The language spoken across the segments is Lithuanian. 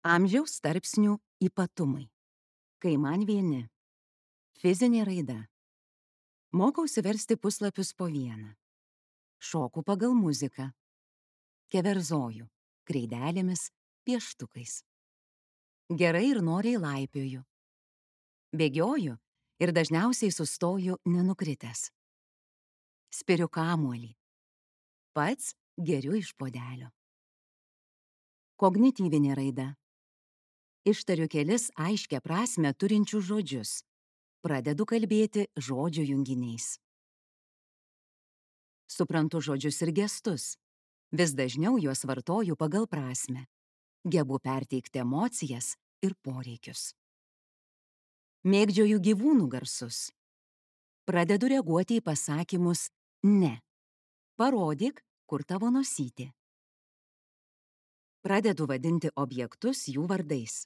Amžiaus tarpsnių ypatumai. Kai man vieni. Fizinė raida. Mokausi versti puslapius po vieną. Šoku pagal muziką. Keverzoju. Kreidelėmis, pieštukais. Gerai ir noriai laipioju. Bėgioju ir dažniausiai sustoju nenukritęs. Spiriu kamuolį. Pats geriu iš puodelio. Kognityvinė raida. Ištariu kelis aiškią prasmę turinčius žodžius. Pradedu kalbėti žodžių junginiais. Suprantu žodžius ir gestus. Vis dažniau juos vartoju pagal prasmę. Gebu perteikti emocijas ir poreikius. Mėgdžioju gyvūnų garsus. Pradedu reaguoti į pasakymus ne. Parodyk, kur tavo nosytė. Pradedu vadinti objektus jų vardais.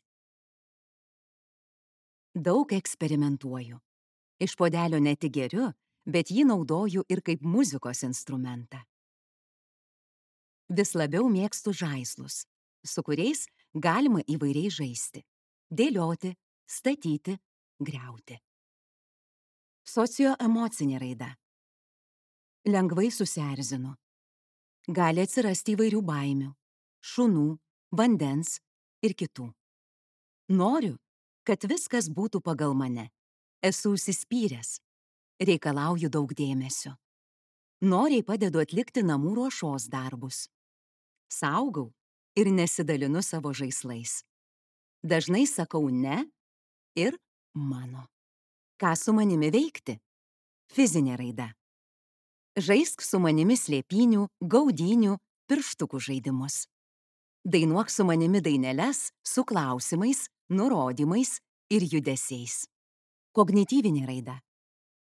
Daug eksperimentuoju. Iš puodelio ne tik geriu, bet jį naudoju ir kaip muzikos instrumentą. Vis labiau mėgstu žaislus, su kuriais galima įvairiai žaisti. Dėlioti, statyti, griauti. Socioemocinė raida. Lengvai susierzinu. Gali atsirasti įvairių baimių, šunų, vandens ir kitų. Noriu, kad viskas būtų pagal mane. Esu užsispyręs. Reikalauju daug dėmesio. Noriai padedu atlikti namų ruošos darbus. Saugau ir nesidalinu savo žaislais. Dažnai sakau ne ir mano. Ką su manimi veikti? Fizinė raida. Žaisk su manimi slėpynių, gaudynių, pirštukų žaidimus. Dainuok su manimi daineles su klausimais, nurodymais ir judesiais. Kognityvinė raida.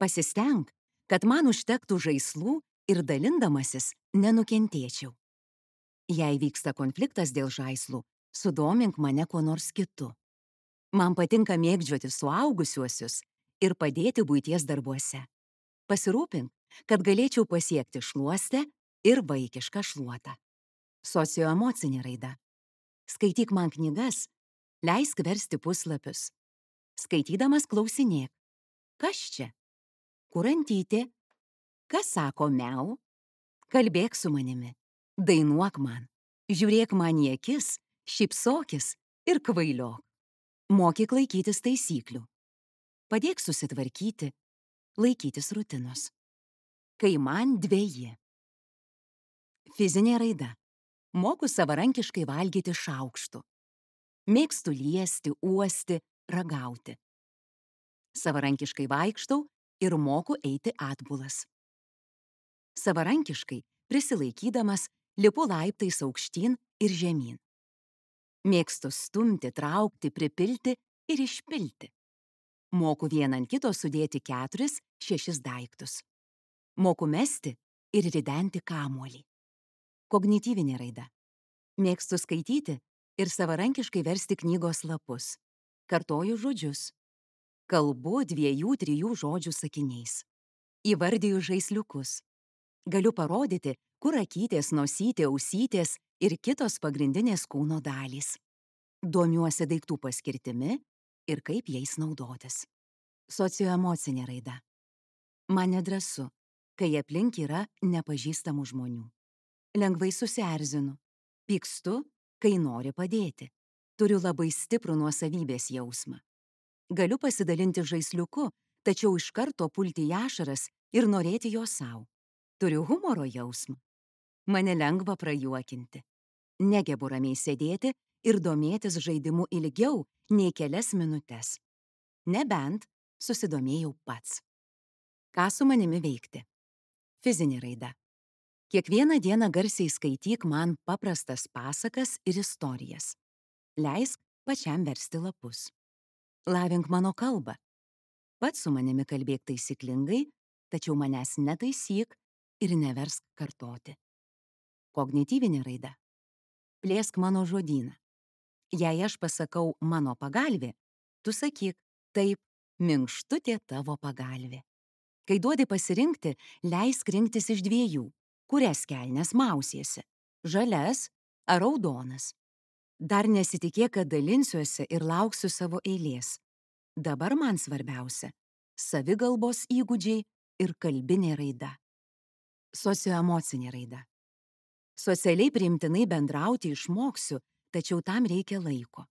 Pasistenk, kad man užtektų žaislų ir dalindamasis nenukentėčiau. Jei vyksta konfliktas dėl žaislų, sudomink mane kuo nors kitu. Man patinka mėgdžioti suaugusiuosius ir padėti buities darbuose. Pasirūpink, kad galėčiau pasiekti šluostę ir vaikišką šluotą. Socioemocinė raida. Skaityk man knygas, leisk versti puslapius. Skaitydamas klausinėk. Kas čia? Kur antytė? Kas sako miau? Kalbėk su manimi. Dainuok man. Žiūrėk man į akis, šypsokis ir kvailiok. Mokyk laikytis taisyklių. Padėk susitvarkyti, laikytis rutinos. Kai man dveji. Fizinė raida. Moku savarankiškai valgyti šaukštu. Mėgstu liesti, uosti, ragauti. Savarankiškai vaikštau ir moku eiti atbulas. Savarankiškai, prisilaikydamas, lipu laiptais aukštyn ir žemyn. Mėgstu stumti, traukti, pripilti ir išpilti. Moku vieną ant kito sudėti 4-6 daiktus. Moku mesti ir ridenti kamuolį. Kognityvinė raida. Mėgstu skaityti ir savarankiškai versti knygos lapus. Kartoju žodžius. Kalbu 2-3 žodžių sakiniais. Įvardiju žaisliukus. Galiu parodyti, kur akytės, nosytė, ausytės ir kitos pagrindinės kūno dalys. Domiuosi daiktų paskirtimi ir kaip jais naudotis. Socioemocinė raida. Man nedrąsu, kai aplink yra nepažįstamų žmonių. Lengvai susierzinu. Pykstu, kai nori padėti. Turiu labai stiprų nuosavybės jausmą. Galiu pasidalinti žaisliuku, tačiau iš karto pulti į ašaras ir norėti jo sau. Turiu humoro jausmą. Mane lengva prajuokinti. Negebu ramiai sėdėti ir domėtis žaidimu ilgiau nei kelias minutes. Nebent susidomėjau pats. Ką su manimi veikti? Fizinė raida. Kiekvieną dieną garsiai skaityk man paprastas pasakas ir istorijas. Leisk pačiam versti lapus. Lavink mano kalbą. Pats su manimi kalbėk taisyklingai, tačiau manęs netaisyk ir neversk kartoti. Kognityvinė raida. Plėsk mano žodyną. Jei aš pasakau mano pagalvė, tu sakyk taip, minkštutė tavo pagalvė. Kai duodi pasirinkti, leisk rinktis iš 2, kurias kelnes mausiesi, žalias ar raudonas. Dar nesitikėk, kad dalinsiuosi ir lauksiu savo eilės. Dabar man svarbiausia - savigalbos įgūdžiai ir kalbinė raida. Socioemocinė raida. Socialiai priimtinai bendrauti išmoksiu, tačiau tam reikia laiko.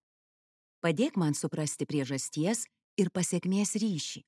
Padėk man suprasti priežasties ir pasekmės ryšį.